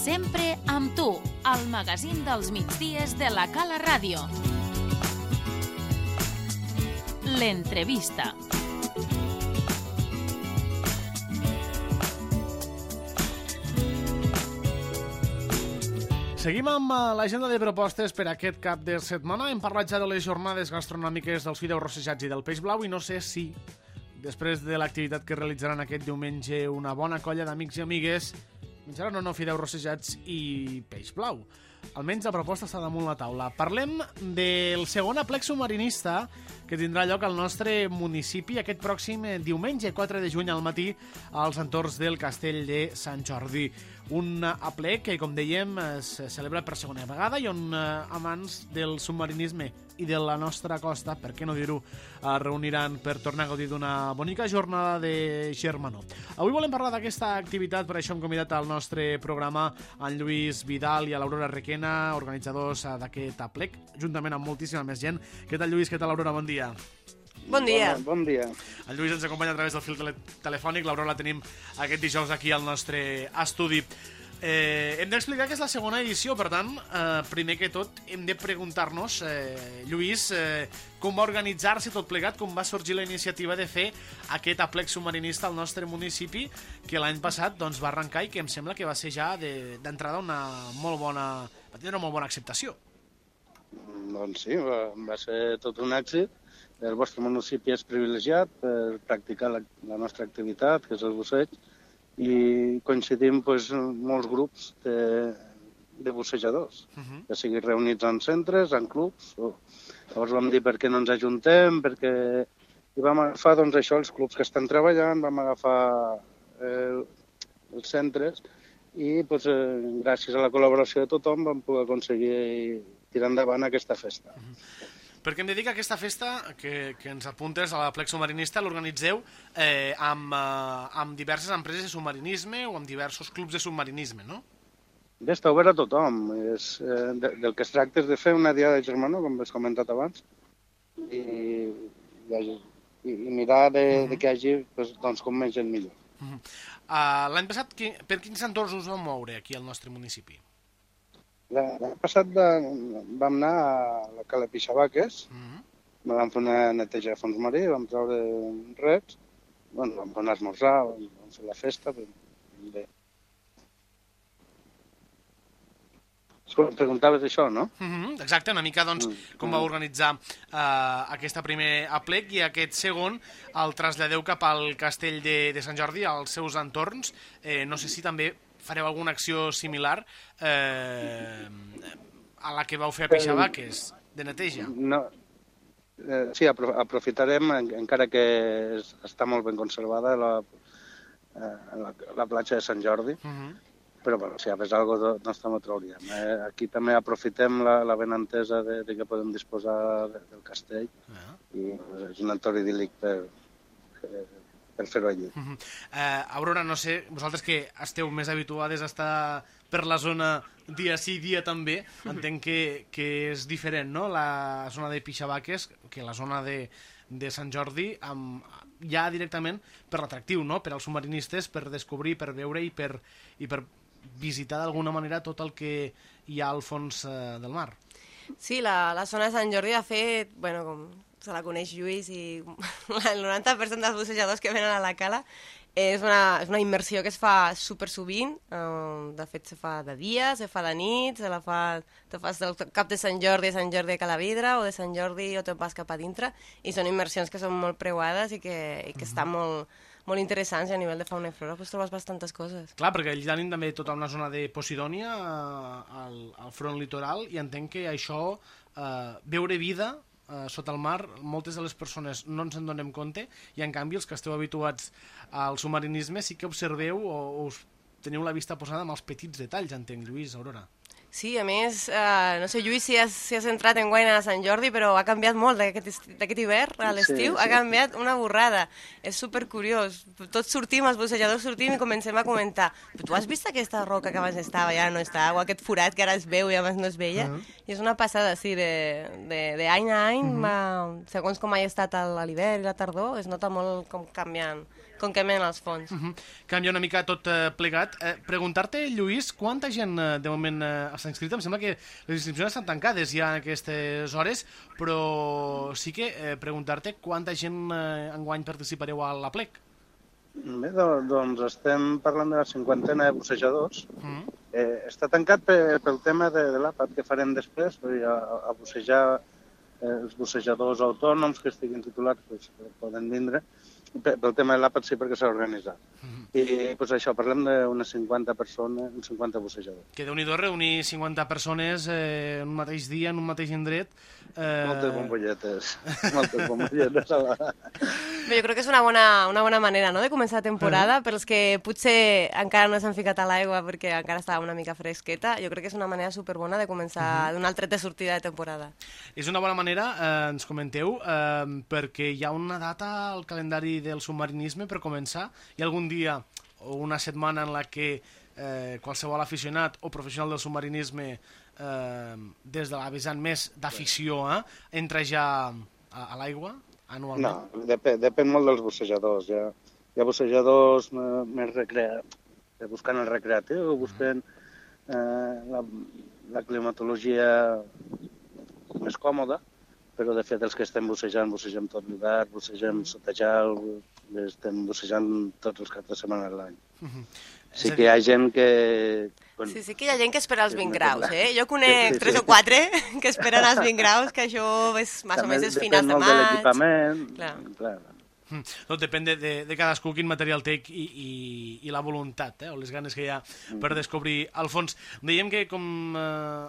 Sempre amb tu, al magazín dels migdies de la Cala Ràdio. L'entrevista. Seguim amb l'agenda de propostes per aquest cap de setmana. Hem parlat ja de les jornades gastronòmiques dels fideus rossejats i del peix blau i no sé si, després de l'activitat que realitzaran aquest diumenge una bona colla d'amics i amigues, menjaran o no fideus rossejats i peix blau. Almenys la proposta està damunt la taula. Parlem del segon aplec submarinista que tindrà lloc al nostre municipi aquest pròxim diumenge 4 de juny al matí als entorns del Castell de Sant Jordi. Un aplec que, com dèiem, es celebra per segona vegada i on amants del submarinisme i de la nostra costa, per què no dir-ho, reuniran per tornar a gaudir d'una bonica jornada de germanor. Avui volem parlar d'aquesta activitat, per això hem convidat al nostre programa en Lluís Vidal i a l'Aurora Requena, organitzadors d'aquest aplec, juntament amb moltíssima més gent. Què tal, Lluís? Què tal, Aurora? Bon dia. Bon dia. Bon dia. El Lluís ens acompanya a través del fil telefònic. L'Aurora la tenim aquest dijous aquí al nostre estudi. Hem d'explicar que és la segona edició, per tant, primer que tot hem de preguntar-nos, Lluís, com va organitzar-se tot plegat, com va sorgir la iniciativa de fer aquest aplec submarinista al nostre municipi, que l'any passat va arrencar i que em sembla que va ser ja d'entrada va tenir una molt bona acceptació. Doncs sí, va ser tot un èxit. El vostre municipi és privilegiat per practicar la nostra activitat, que és el busseig, i coincidim molts grups de bussejadors, que siguin reunits en centres, en clubs. Llavors vam dir per què no ens ajuntem, i vam agafar això, els clubs que estan treballant, vam agafar els centres i gràcies a la col·laboració de tothom vam poder aconseguir tirar endavant aquesta festa. Perquè em dedica a aquesta festa que ens apuntes a l'aplec submarinista, l'organitzeu amb diverses empreses de submarinisme o amb diversos clubs de submarinisme, no? Bé, està obert a tothom. Del que es tracta és de fer una diada de germanor, com has comentat abans, i mirar de que hi hagi com més gent millor. L'any passat, per quins entorns us vau moure aquí al nostre municipi? L'any passat vam anar a la Cala Pixabaques, vam fer una neteja de fons marí, vam treure rets, vam anar a esmorzar, vam fer la festa. Bé. Preguntaves això, no? Exacte, una mica com va organitzar aquesta primer aplec i aquest segon el traslladeu cap al Castell de Sant Jordi, als seus entorns. No sé si també fareu alguna acció similar a la que vau fer a Pixabaques, de neteja. No. Sí, aprofitarem, encara que està molt ben conservada la platja de Sant Jordi, però si hi hagués alguna cosa no també ho trauríem. Aquí també aprofitem la benentesa de que podem disposar del castell i és un entorn idíl·lic per fer-ho allí. Aurora, no sé, vosaltres que esteu més habituades a estar per la zona dia sí, dia també, entenc que és diferent, no?, la zona de Pixabaques que la zona de Sant Jordi, ja directament per l'atractiu, no?, per als submarinistes, per descobrir, per veure i per visitar d'alguna manera tot el que hi ha al fons del mar. Sí, la zona de Sant Jordi, de fet, com se la coneix Lluís i el 90% dels bussejadors que venen a la cala, és una immersió que es fa super sovint. De fet, se fa de dia, se fa de nit, te fas del cap de Sant Jordi a Sant Jordi a Calavidra, o de Sant Jordi o te'n vas cap a dintre, i són immersions que són molt preuades i que estan molt interessants, i a nivell de fauna i flora trobes bastantes coses. Clar, perquè allà tenim també tota una zona de Posidònia al front litoral, i entenc que això, veure vida sota el mar, moltes de les persones no ens en donem compte, i en canvi els que esteu habituats al submarinisme sí que observeu o us teniu la vista posada amb els petits detalls, entenc, Lluís, Aurora. Sí, a més, no sé, Lluís, si has entrat en guany a Sant Jordi, però ha canviat molt d'aquest hivern a l'estiu, ha canviat una borrada. És supercuriós. Tots sortim, els bussejadors sortim i comencem a comentar. Però tu has vist aquesta roca que abans estava, ja no està, o aquest forat que ara es veu i abans no es veia? I és una passada, sí, d'any a any, segons com hagi estat l'hivern i la tardor, es nota molt com canvien els fons. Canvia una mica tot plegat. Preguntar-te, Lluís, quanta gent de moment s'ha inscrit? Em sembla que les inscripcions estan tancades ja en aquestes hores, però sí que preguntar-te quanta gent enguany participareu a l'Aplec. Bé, doncs estem parlant de la 50ena de bussejadors. Està tancat pel tema de l'àpat que farem després, a bussejar els bussejadors autònoms que estiguin titulats poden vindre. Pel tema de l'àpat sí, perquè s'ha organitzat. I això, parlem d'unes 50 persones, uns 50 bussejadors. Que Déu-n'hi-do reunir 50 persones en un mateix dia, en un mateix indret. Moltes bombolletes. Moltes bombolletes. Bé, jo crec que és una bona manera, no?, de començar la temporada. Per als que potser encara no s'han ficat a l'aigua perquè encara estava una mica fresqueta, jo crec que és una manera superbona de començar d'un altre tret de sortida de temporada. És una bona manera, ens comenteu, perquè hi ha una data al calendari del submarinisme per començar. Hi ha algun dia o una setmana en la que qualsevol aficionat o professional del submarinisme des de la vessant més d'afició entra ja a l'aigua anualment? No, depèn molt dels bussejadors. Hi ha bussejadors més buscant el recreatiu, buscant la climatologia més còmoda, però de fet els que estem bussegem tot l'hivern, bussegem sota gel, estem bussejant tots els caps de setmana de l'any. Sí que hi ha gent que... Sí que hi ha gent que espera els 20 graus, Jo conec 3 o 4 que esperen els 20 graus, que això és més o menys finals de maig. Depèn molt de l'equipament. Clar. Tot depèn de cadascú quin material té i la voluntat, o les ganes que hi ha per descobrir el fons. Dèiem que, com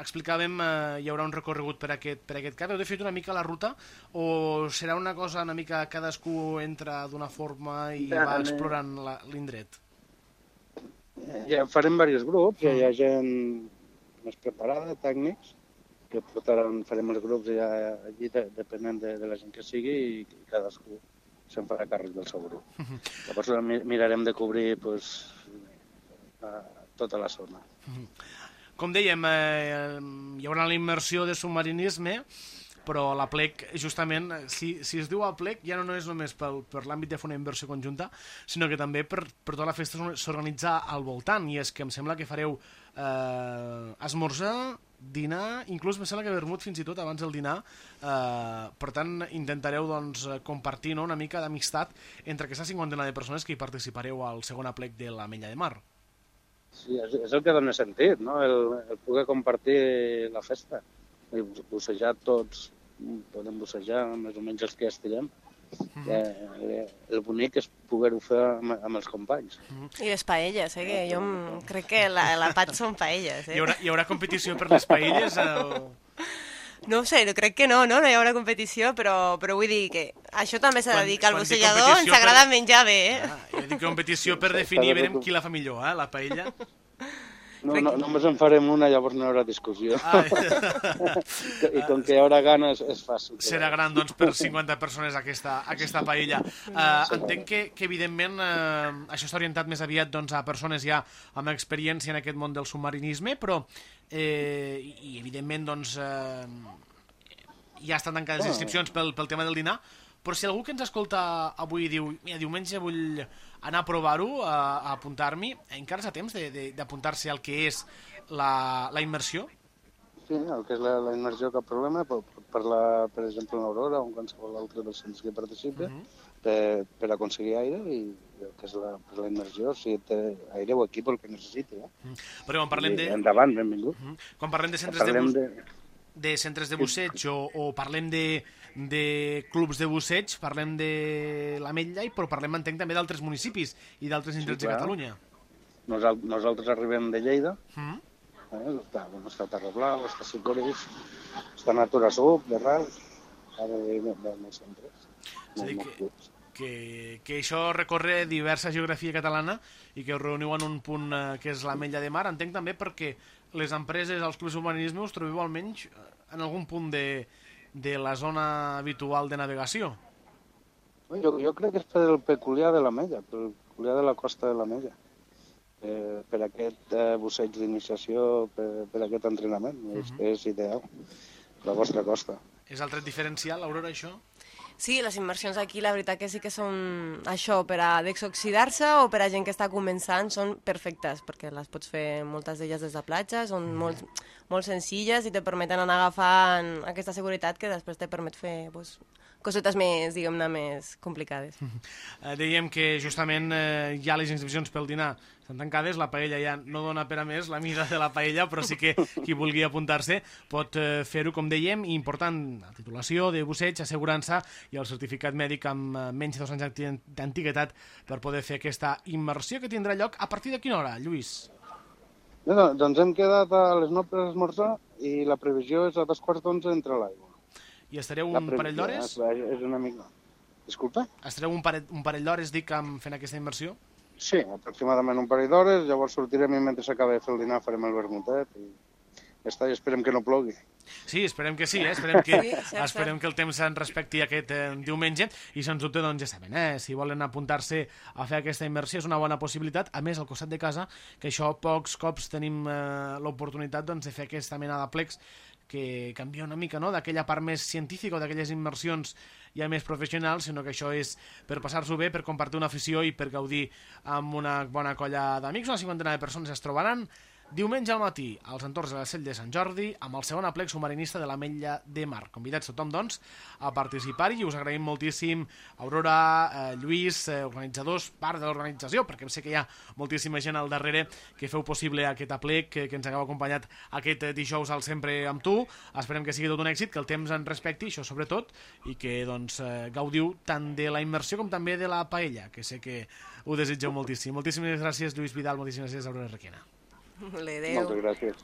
explicàvem, hi haurà un recorregut per aquest cap. Heu definit una mica la ruta o serà una cosa una mica cadascú entra d'una forma i va explorant l'indret? Ja farem diversos grups, hi ha gent més preparada, tècnics, que farem els grups ja allí depenent de la gent que sigui i cadascú se'n farà càrrec del seu grup. Llavors mirarem de cobrir tota la zona. Com dèiem, hi haurà la immersió de submarinisme, però l'Aplec, justament, si es diu Aplec, ja no és només per l'àmbit de fer una inversió conjunta, sinó que també per tota la festa s'organitza al voltant, i és que em sembla que fareu esmorzar, dinar, inclús em sembla que vermut fins i tot abans del dinar, per tant intentareu compartir una mica d'amistat entre aquesta cinquantena de persones que hi participareu al segon Aplec de l'Ametlla de Mar. Sí, és el que dona sentit, no? El poder compartir la festa. Bussejar tots, podem bussejar més o menys els que estiguem. El bonic és poder-ho fer amb els companys. I les paelles, que jo crec que l'àpat són paelles. Hi haurà competició per les paelles? No ho sé, crec que no hi haurà competició, però vull dir que això també s'ha de dir que al bussejador ens agrada menjar bé. Jo dic competició per definir, verem qui la fa millor, la paella. No, només en farem una, llavors no hi haurà discussió. I com que hi haurà gana és fàcil. Serà gran, doncs, per 50 persones aquesta paella. Entenc que evidentment, això està orientat més aviat a persones ja amb experiència en aquest món del submarinisme, però, i evidentment, ja estan tancades les inscripcions pel tema del dinar, però si algú que ens escolta avui diu, mira, diumenge vull anar a provar-ho, a apuntar-m'hi, encara és a temps d'apuntar-se al que és la immersió? Sí, el que és la immersió, cap problema, per exemple, en Aurora o en qualsevol altre dels centres que participi, per aconseguir aire, i el que és la immersió, si té aire o equip, el que necessiti. Però quan parlem de... Endavant, benvingut. Quan parlem de centres de busseig o parlem de clubs de busseig, parlem de l'Ametlla, però parlem, entenc, també d'altres municipis i d'altres indrets de Catalunya. Nosaltres arribem de Lleida, està Terrablau, està Sicoris, està Natura Sub, de Ras, de molts centres. És a dir, que això recorre diversa geografia catalana i que us reuniu en un punt que és l'Ametlla de Mar. Entenc també perquè les empreses, els clubs d'urbanisme us trobeu almenys en algun punt de la zona habitual de navegació. Jo crec que és per el peculiar de l'Ametlla, per el peculiar de la costa de l'Ametlla, per aquest busseig d'iniciació, per aquest entrenament. És ideal, la vostra costa. És el tret diferencial, Aurora, això? Sí, les immersions aquí la veritat que sí que són això, per a desoxidar-se o per a gent que està començant, són perfectes, perquè les pots fer moltes d'elles des de platja, són molt senzilles i te permeten anar agafant aquesta seguretat que després te permet fer cosetes més, diguem-ne, més complicades. Dèiem que justament ja les inscripcions pel dinar estan tancades, la paella ja no dona per a més, la mida de la paella, però sí que qui vulgui apuntar-se pot fer-ho, com dèiem, i important, la titulació de busseig, assegurança i el certificat mèdic amb menys de 2 anys d'antiguitat per poder fer aquesta immersió que tindrà lloc a partir de quina hora, Lluís? Doncs hem quedat a les 9 per esmorzar i la previsió és a 2:15 entre l'aigua. I estareu un parell d'hores? És una mica... Disculpa? Estareu un parell d'hores, dic, fent aquesta immersió? Sí, aproximadament un parell d'hores, llavors sortirem i mentre s'acaba de fer el dinar farem el vermutet i ja està, i esperem que no plogui. Sí, esperem que sí, esperem que el temps ens respecti aquest diumenge i sens dubte, doncs ja saben, si volen apuntar-se a fer aquesta immersió és una bona possibilitat, a més al costat de casa, que això pocs cops tenim l'oportunitat de fer aquesta mena de plecs que canvia una mica, no?, d'aquella part més científica o d'aquelles immersions ja més professionals, sinó que això és per passar-s'ho bé, per compartir una afició i per gaudir amb una bona colla d'amics. Una 50ena de persones es trobaran diumenge al matí als entorns de la Sell de Sant Jordi amb el segon aplec submarinista de l'Ametlla de Mar. Convidats tothom, doncs, a participar-hi i us agraïm moltíssim, Aurora, Lluís, organitzadors, part de l'organització, perquè sé que hi ha moltíssima gent al darrere que feu possible aquest aplec, que ens hagueu acompanyat aquest dijous al Sempre amb tu. Esperem que sigui tot un èxit, que el temps en respecti, això sobretot, i que doncs, gaudiu tant de la immersió com també de la paella, que sé que ho desitgeu moltíssim. Moltíssimes gràcies, Lluís Vidal, moltíssimes gràcies, Aurora Requena. Moltes gràcies.